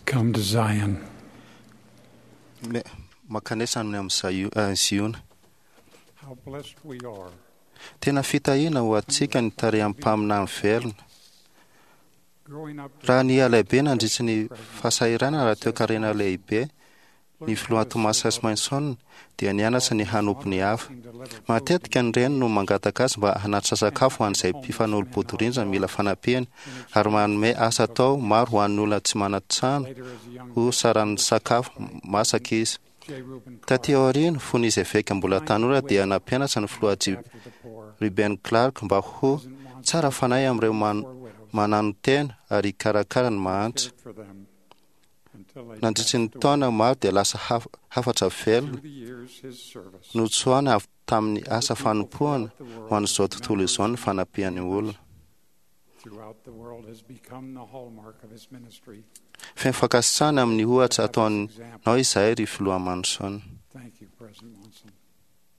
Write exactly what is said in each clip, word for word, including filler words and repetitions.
Come to Zion. Me- Mankanesa any amin'ny Zaio- eh, Ziona. How blessed we are Tena fitahiana ho antsika ny tarehan'ny mpaminany velona. growing up. Raha ny lehibe nandritry ny fahasahiranana raha toekarena lehibe, ny filoha Thomas S. Manson dia nianatra ny hanompo ny hafa. Matetika ny reny no mangataka azy mba hanatitra sakafo ho an'izay mpifanolo-bodirindrina mila fanampiana ary manome asa atao maro ho an'ny olona tsy manan-trano ho saran'ny sakafo masaka izy. J. Reuben Taty aoriana, fony izy eveka mbola tanora dia nampianatra ny filoha J. after the poor, Reuben Clark mba ho tsara fanahy amin'ireo man- mananotena ary hikarakara ny mahantra. cared for them until they Nandritry ny passed away. taona maro dia lasa haf- hafatra velona Through the years, his service notsoahana avy tamin'ny asa fanompoana ho an'izao tontolo izao ny fanampian'ny olona. throughout the world has become the hallmark of his ministry. Feno fankasitrahana amin'ny ohatra ataonao izahay ry filoha Manson. Thank you, President Monson.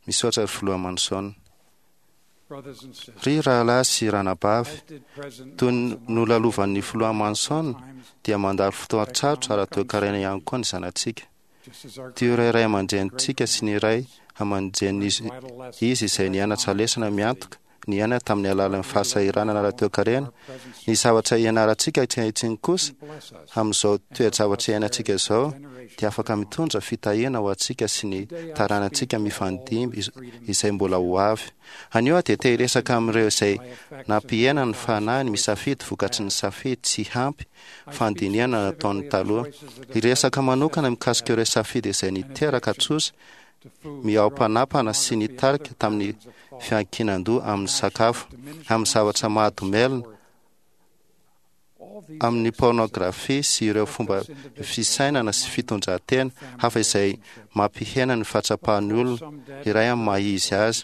Misaotra ry filoha Manson. Brothers and sisters, Ry rahalahy sy ranabavy, as did President toy ny Monson nolalovan'ny filoha Manson times, dia mandalo fotoan-tsarotra ara-toekarena ihany koa ny zanatsika. just as our Toy ireo ray aman-drenintsika sy ny ray aman-drenin'izy vital lessons izy izay nianatra lesona miantoka niaina tamin'ny alalan'ny fahasahiranana ara-toekarena, our present ny zavatra ianarantsika ankehitriny kosa bless us amin'izao toe-javatra iainantsika izao generation dia afaka mitondra fitahiana ho antsika sy ny taranantsika mifandimby iz- izay mbola ho avy. Anio aho dia te hiresaka amin'ireo izay by effects nampihena ny fanahiny misafidy vokatry ny safidy tsy ampy fandinihana nataony taloha. Hiresaka manokana mikasika ireo safidy izay niteraka trosa to food, mihaom-panapana sy nitarika tamin'ny fiankinan-doha amin'ny sakafo, amin'ny zavatra mahadomelina, all these amin'ny pornografia sy ireo fomba fisainana sy fitondran-tena hafa izay mampihena ny fahatsapan'ny olona iray amin'ny maha izy azy.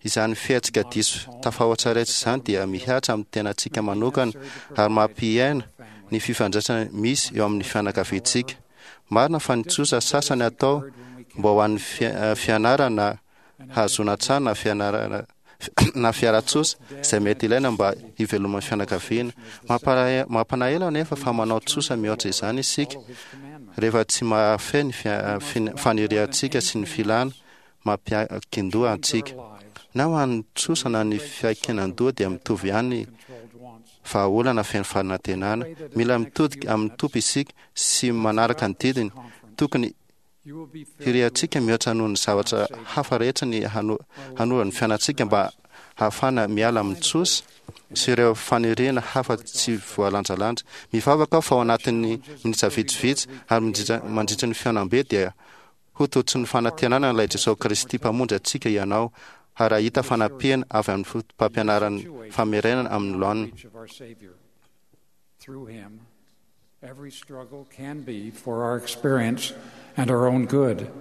Izany fihetsika diso tafahoatra rehetra izany dia mihatra amin'ny tenantsika manokana ary mampihena ny fifandraisana misy eo amin'ny fianakaviantsika. Marina fa ny trosa sasany atao mba ho an'ny fia- fianarana hahazoana tsara na fianarana na fiara-tsosa izay mety ilaina mba hiveloman'ny fianakaviana. Mampalahelo mampalahelo anefa fa manao trosa mihoatra izany isika follow his commandments. rehefa tsy mahafehy ny fia- fin- faniriantsika sy ny filana mampiankin-doha antsika. Our lives, Na ho an'ny trosa na ny fiankinan-doha dia mitovy ihany ny controlled wants. vahaolana feno fanantenana. Mila mitodika amin'ny Tompo isika sy manaraka ny didiny. Tokony You will be filled hiriantsika mihoatra noho ny zavatra hafa rehetra ny hano- hanova ny fiainantsika mba hahafahana miala amin'ny trosa sy ireo faniriana hafa tsy voalanjalanja. Mivavaka aho fa ao anatin'ny minitra vitsivitsy ary mandritra- mandritra ny fihaonambe dia ho tototry ny fanantenana ilay Jesosy Kristy Mpamonjy antsika ianao ary hahita fanampiana avy amin'ny fotopampianaran'ny famerenana amin'ny laoniny. reach of our Savior. Through him, every struggle can be for our experience and our own good.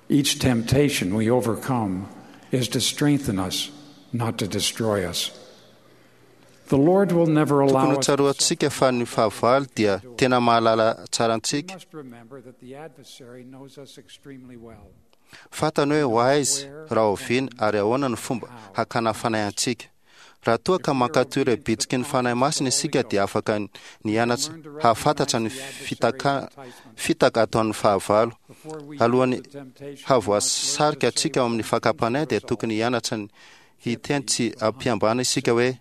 Each temptation we overcome is to strengthen us, not to destroy us. The Lord will never Tokony allow ho us to tsaroantsika fa ny fahavalo dia tena mahalala tsara We antsika. must remember that the adversary knows us extremely well. Fantany hoe ho aiza, raha oviana ary ahoana ny fomba hakana fanahy antsika. Raha toa ka mankatò ireo bitsiky ny Fanahy Masina isika dia afaka ny hianatra hahafantatra ny fitaka, fitaka ataon'ny fahavalo. Before we Alohan'ny yield to temptation, we must learn hahavoasarika to say antsika ao amin'ny fakam-panahy dia tokony hianatra ny hiteny tsy ampiambana isika hoe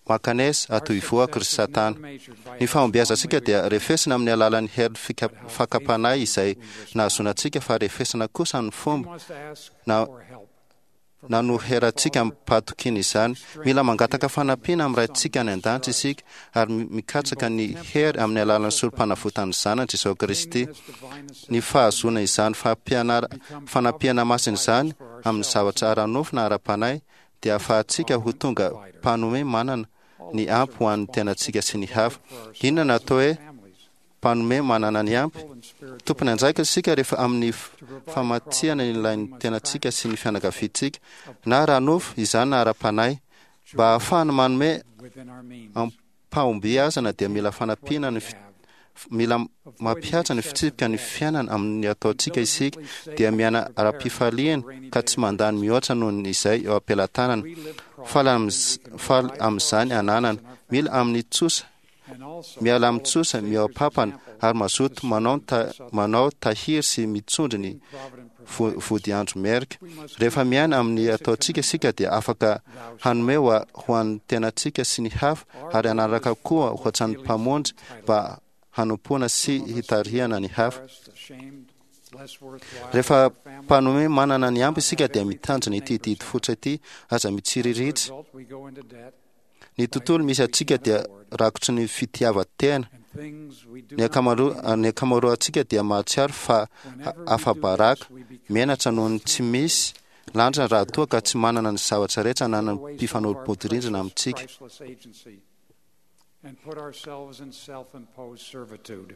mankanesa Our ato ivoako ry success is Satana. never measured by Ny how fahombiazantsika strongly dia refesina amin'ny alalan'ny hery fika- fakam-panahy izay nahazoana antsika fa refesina kosa amin'ny we fomba must ask na- for help from nanoherantsika amim-pahatokiana izany. Mila mangataka fanampiana amin'ny Raintsika any an-danitra isika ary mi- mikatsaka ny hery amin'ny alalan'ny sorom-panavotan'ny Zanany Jesosy Kristy. this divine Ny fahazoana izany fampianara- fanampiana masina izany amin'ny zavatra ara-nofo na ara-panahy dia ahafahantsika ho tonga mpanome manana ny ampy ho an'ny tenantsika sy ny hafa. Inona no atao hoe families, mpanome manana ny ampy? and spiritual Tompony andraikitra isika rehefa amin'ny f- famatsiana ny ilain'ny tenantsika sy ny fianakaviantsika, na ara-nofo izany na ara-panahy. Mba hahafahana manome within our means. am-pahombiazana dia mila fanampiana ny fi- Have mila mampihatra ny fitsipika ny fiainana amin'ny ataontsika isika dia miaina ara-pifaliana ka tsy mandany mihoatra noho ny izay eo am-pelatanana. Faly amin'z- faly amin'izany ananana. Mila amin'ny trosa Miala amin'ny-tsosa, mihoa-pampana ary mazoto manao ta, manao tahiry sy mitsondry ny vodiandro merika. Rehefa miaina amin'ny ataontsika isika dia afaka hanome ho an'ny tenantsika sy ny hafa ary hanaraka koa ohatran'ny Mpamonjy mba hanompoana sy hitarihana ny hafa. Rehefa mpanome manana ny ampy isika dia mitanjona ity didy fototra ity: aza mitsiriritra. Ny tontolo misy antsika dia rakotry ny fitiavan-tena. Ny ankamaroa ny ankamaroantsika dia mahatsiaro fa afa-baraka, menatra noho ny tsy misy lanjany raha toa ka tsy manana ny zavatra rehetra ananan'ny mpifanolo-bodirindrina amintsika. And put ourselves in self-imposed servitude.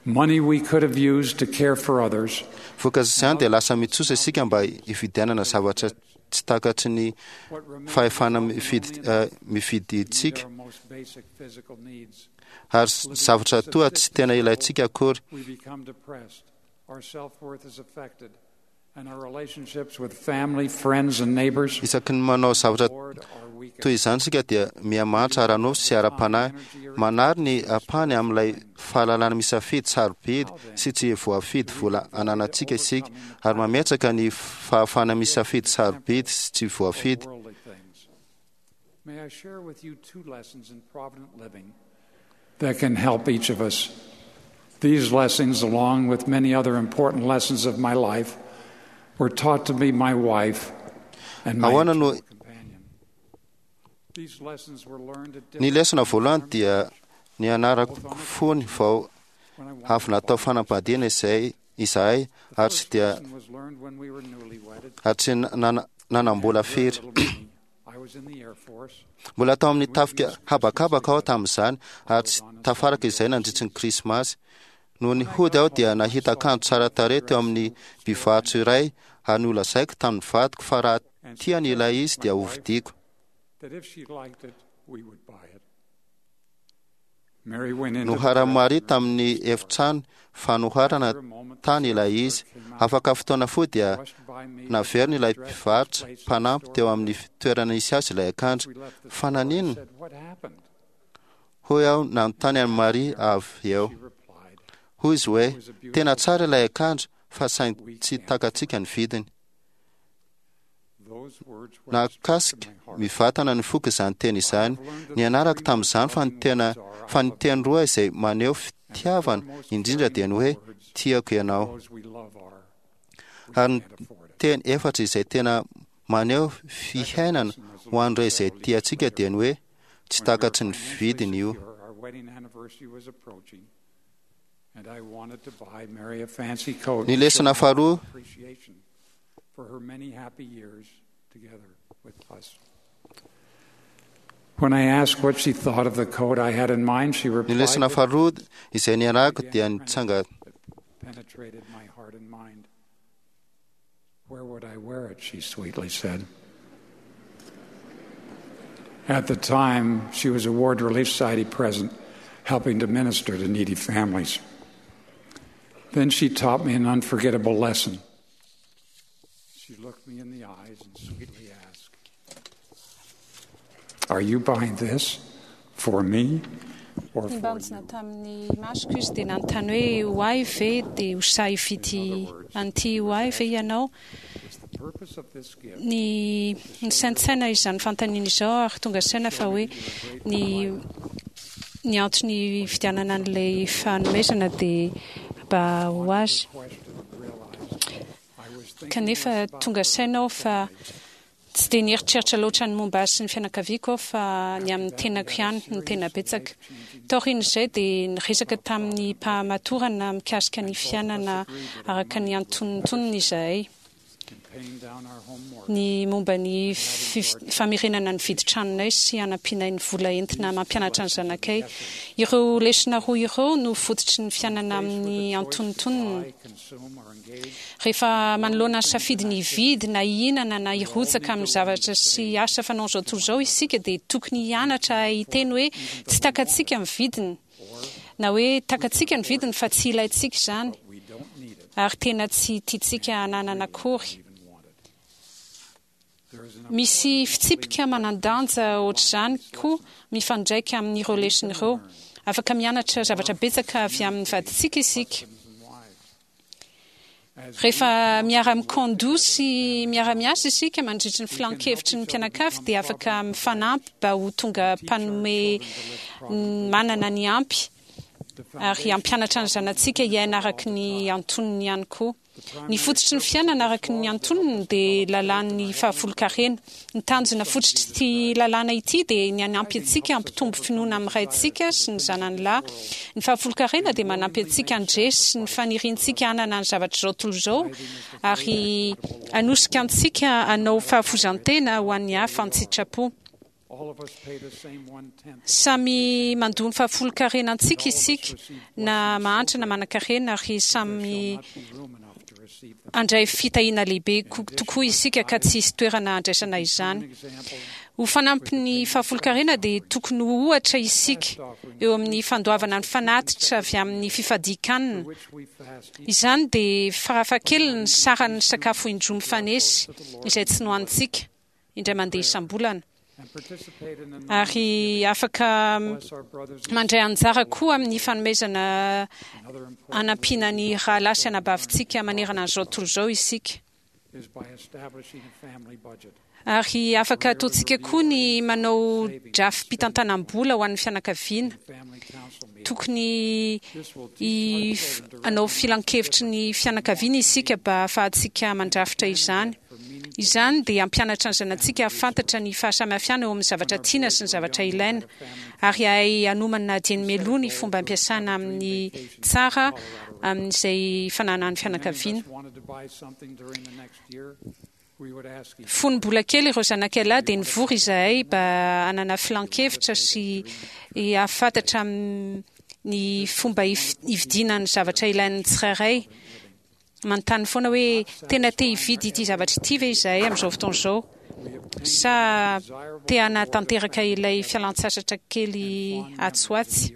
Money we could have used to care for others. Vokatr'izany dia lasa mitsosa isika mba hividianana zavatra tsy takatry ny fahefana mifidy mifidintsika ary zavatra toa tsy tena ilaintsika akory. We become depressed. Our self-worth is affected. And our relationships with family, friends and neighbors Isaky ny manao zavatra toy izany isika dia mihamantra ara-nofo sy ara-panahy, manary ny ampahany amin'ilay fahalalana misafidy sarobidy sy tsy voafidy vola ananantsika isika ary mametraka ny fahafahana misafidy sarobidy sy tsy voafidy. worldly things. May I share with you two lessons in provident living that can help each of us. These lessons, along with many other important lessons of my life, were taught to me my wife and my Ahoana no eternal companion. These lessons were learned at ny different lesona voalohany dia ny anarako fony vao when I wanted avy natao fanambadiana izay izahay The ary tsy first dia lesson was learned when we were newlyweded. ary tsy nana- nanam-bola Very firy. little money. I was in the Air Force. Mbola tao amin'ny tafika habakabaka aho tamin'izany ary tsy tafaraka izay nandritry ny Krismasy. Noho ny hody aho dia nahita akanjo tsara tarehy teo amin'ny mpivarotra iray ary nolazaiko tamin'ny vadiko fa raha And she tiany ilay told izy my dia wife hovidiako. that if she liked it, we would buy it. Mary went into the Noharan'i Maria dressing room tamin'ny efitrano fanoharana After a moment, the tany ilay izy. came out, Afaka fotoana fohy dia brushed by me with naveriny ilay dress mpivarotra placed in the mpanampy store teo amin'ny toerana nisy azy ilay akanjo. We left the Fa store. I naninona? said, "What happened?" Hoy aho nanontany an'i Maria avy eo. She replied, Hoy izy hoe tena tsara ilay akanjo fa saingy tsy takatsika ny vidiny. "Those words went straight to Nahakasika my heart. mivantana ny foko izany teny izany. Ny anarako tamin'izany fa ny tena fa ny teny roa izay maneho fitiavana indrindra dia ny hoe tiako ianao. Those we love are. We Ary ny can't afford it." teny efatra izay tena maneho fihainana ho an'ireo izay tiantsika dia ny hoe tsy When we were takatry ny financially vidiny io. secure, our wedding anniversary was approaching, and I wanted to buy Mary a fancy coat Ny to lesona show my faharoa appreciation for her many happy years together with us. When I asked what she thought of the coat I had in mind, she Ny replied lesona that faharoa izay niarahako dia nitsanga penetrated my heart and mind. Where would I wear it? She sweetly said. At the time, she was a Ward Relief Society president, helping to minister to needy families. Then she taught me an unforgettable lesson. She looked me in the eyes and sweetly asked, Are you buying this for me or for Nibanjina you? tamin'ny masoko izy dia nanontany hoe ho ahy ve dia ho sahy hividy an'ity ho ahy ve ianao? It's the purpose of this gift Ny ny saintsaina izany fanontaniana izao ary tonga saina fa hoe ny ny antony hividianana an'ilay fanomezana dia mba ho azy. question realized I was thinking Kanefa less about tonga her saina aho fa tsy dia nieritreritra loatra ny momba azy sy ny fianakaviako aho fa ny amin'ny tenako ihany no tena betsaka. Taorian'izay dia niresaka tamin'ny mpahamatorana mikasika ny fiainana araka ny antonontonony izahay. in paying down our home mortgage. Ny momba ny fif- famerenana ny vidin-tranonay sy hanampianay ny vola entina mampianatra ny zanakay. Ireo lesona roa ireo no fototry ny fiainana amin'ny antonontonony. Buy, consume, or engage Rehefa manoloana ny safidy ny hividy na hihinana na hirotsaka amin'ny zavatra sy asa fanaon'izao tontolo izao isika dia tokony hianatra hiteny hoe tsy takatsika ny vidiny na hoe takatsika ny vidiny fa tsy ilaintsika izany but we don't need it, ary tena tsy tiantsika hananana akory. even want it. There is an Misy fitsipika manan-danja ohatr'izany koa mifandraika amin'ireo lesona ireo. Afaka mianatra zavatra betsaka avy amin'ny vadintsika isika. Rehefa miara-mikaon-doha sy miara-miasa isika mandritry ny filan-kevitry ny mpianakavy dia afaka mifanampy mba ho tonga mpanome manana ny ampy ary hampianatra ny zanatsika hiaina araka ny antonony ihany koa. Ny fototry ny fiainana araka ny antonony dia lalàn'ny fahafolonkarena. Ny tanjona fototr'ity lalàna ity dia ny hanampy antsika hampitombo finoana amin'ny Raintsika sy ny Zanany lahy. Ny fahafolonkarena dia manampy antsika handresy ny faniriantsika hanana ny zavatr'izao tontolo izao ary hanosika antsika hanao fahafoizan-tena ho an'ny hafa an-tsitrapo. Samy mandoa ny fahafolonkarena antsika isika, na mahantra na manankarena, ary samy handray fitahiana lehibe tokoa isika ka tsy hisy toerana handraisana izany. Ho fanampin'ny fahafolonkarena dia tokony ho ohatra isika eo amin'ny fandoavana ny fanatitra avy amin'ny fifadian-kanina. Izany dia farafahakeliny ny saran'ny sakafo indroa mifanesy izay tsy nohanintsika indray mandeha isam-bolana. Ary afaka mandray anjara koa amin'ny fanomezana hanampiana ny rahalahy sy anabavintsika manerana an'izao tontolo izao isika. Ary afaka ataontsika koa ny manao drafi-pitantanam-bola ho an'ny fianakaviana. Tokony hanao filan-kevitry ny fianakaviana isika mba hahafahantsika mandrafitra izany. Izany dia hampianatra ny zanatsika hahafantatra ny fahasamihafana eo amin'ny zavatra tiana sy ny zavatra ilaina, ary hahay hanomana dieny mialoha ny fomba ampiasana amin'ny tsara amin'izay fananan'ny fianakaviana. Fony mbola kely ireo zanakay lahy dia nivory izahay mba hanana filan-kevitra sy hahafantatra ny fomba hividiana ny zavatra ilain'ny tsirairay. Manontany foana hoe tena te hividy ity zavatra ity ve izahay amin'izao fotoana izao, sa te hanatanteraka ilay fialan-tsasatra kely atsy ho atsy.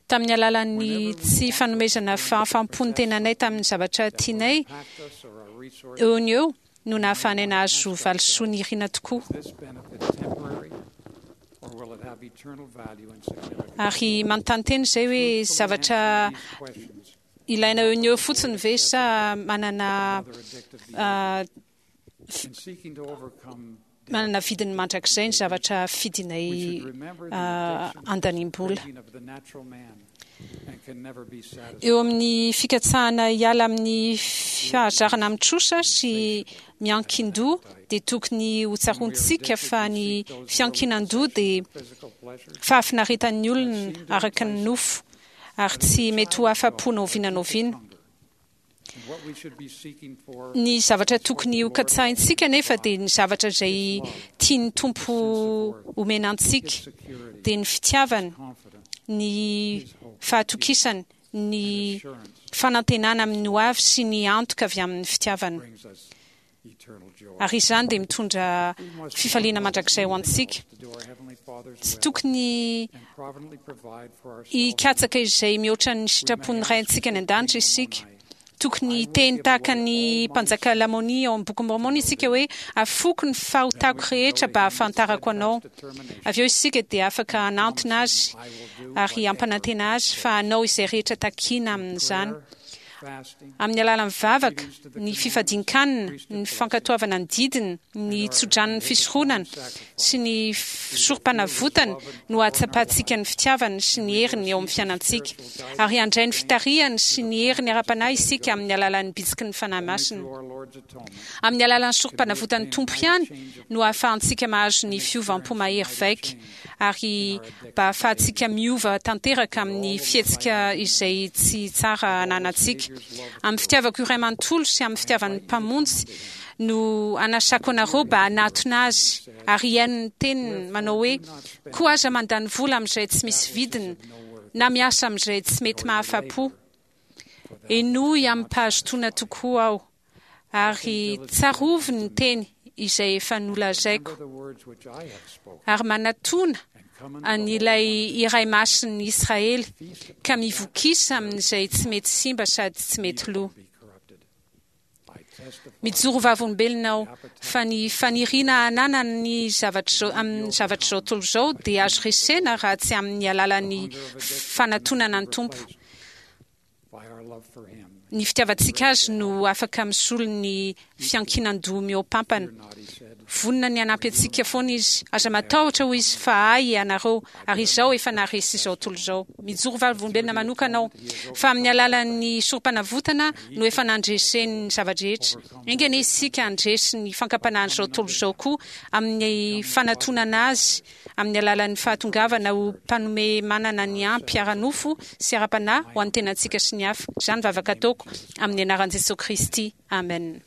Tamin'ny alalan'ny tsy fanomezana fahafaham-po ny tenanay tamin'ny zavatra tianay eo no eo no nahafahanay nahazo valisoa nirina tokoa. Ary manontany tena izay hoe zavatra ilaina eo no eo fotsiny ve sa manana manana vidiny mandrakizay ny zavatra fidinay andanim-bola. Eo amin'ny fikatsahana hiala amin'ny fahazarana amin'ny trosa sy miankin-doha dia tokony ho tsaroantsika fa ny fiankinan-doha dia fahafinaretan'ny olona araka ny nofo ary tsy mety ho afa-po na oviana na oviana. Ny zavatra tokony ho katsahintsika anefa dia ny zavatra izay tian'ny Tompo omena antsika, dia ny fitiavany, ny fahatokisany, ny fanantenana amin'ny hoavy sy ny antoka avy amin'ny fitiavana. Ary izany dia mitondra fifaliana mandrakizay ho antsika. Tsy tokony hikatsaka izay mihoatra ny sitrapon'ny Raintsika any an-danitra isika. Tokony hiteny tahaka ny mpanjaka Lamônia ao amin'ny Bokin'i Môrmôna isika hoe, Afoiko ny fahotako rehetra mba hahafantarako Anao. Avy eo isika dia afaka hanantona Azy ary hampanantena Azy fa hanao izay rehetra takiana amin'izany. Amin'ny alalan'ny vavaka, ny fifadian-kanina, ny fankatoavana ny didiny, ny tsodranon'ny fisoronana sy ny sorom-panavotana no ahatsapantsika ny fitiavany sy ny heriny eo amin'ny fiainantsika. Ary handray ny fitarihany sy ny heriny ara-panahy isika amin'ny alalan'ny bitsiky ny Fanahy Masina. Amin'ny alalan'ny sorom-panavotan'ny Tompo ihany no ahafahantsika mahazo ny fiovam-po mahery vaika ary mba hahafahantsika miova tanteraka amin'ny fihetsika izay tsy tsara ananantsika. Amin'ny fitiavako iray manontolo sy amin'ny fitiavan'ny Mpamonjy no anasako anareo mba hanatona Azy ary hihaino ny teniny manao hoe, Koa aza mandany vola amin'izay tsy misy vidiny na miasa amin'izay tsy mety mahafa-po. Henoy amim-pahazotoana tokoa aho. Ary tsarovy ny teny izay efa nolazaiko, ary manatòna an'ilay Iray Masin'ny Israely, ka mivokisa amin'izay tsy mety simba sady tsy mety lo. Mijoro vavolombelona aho fa ny faniriana hananana ny zavatra izao amin'ny zavatra izao tontolo izao dia azo resena raha tsy amin'ny alalan'ny fanatonana ny Tompo. Ny fitiavantsika azy no afaka misolo ny fiankinan-doha mihoapampana. Vonona ny hanampy antsika foana izy. Aza matahotra, hoy izy, fa ahy ianareo, ary izaho efa naharesy izao tontolo izao. Mijoro vavolombelona manokana aho fa amin'ny alalan'ny sorom-panavotana no efa nandreseny ny zava-drehetra. Enga anie isika handresy ny fankam-panahin'izao tontolo izao koa amin'ny fanatonana azy amin'ny alalan'ny fahatongavana ho mpanome manana ny ampy ara-nofo sy ara-panahy ho an'ny tenantsika sy ny hafa. Izany vavaka ataoko amin'ny anaran'i Jesoa Kristy. Amen.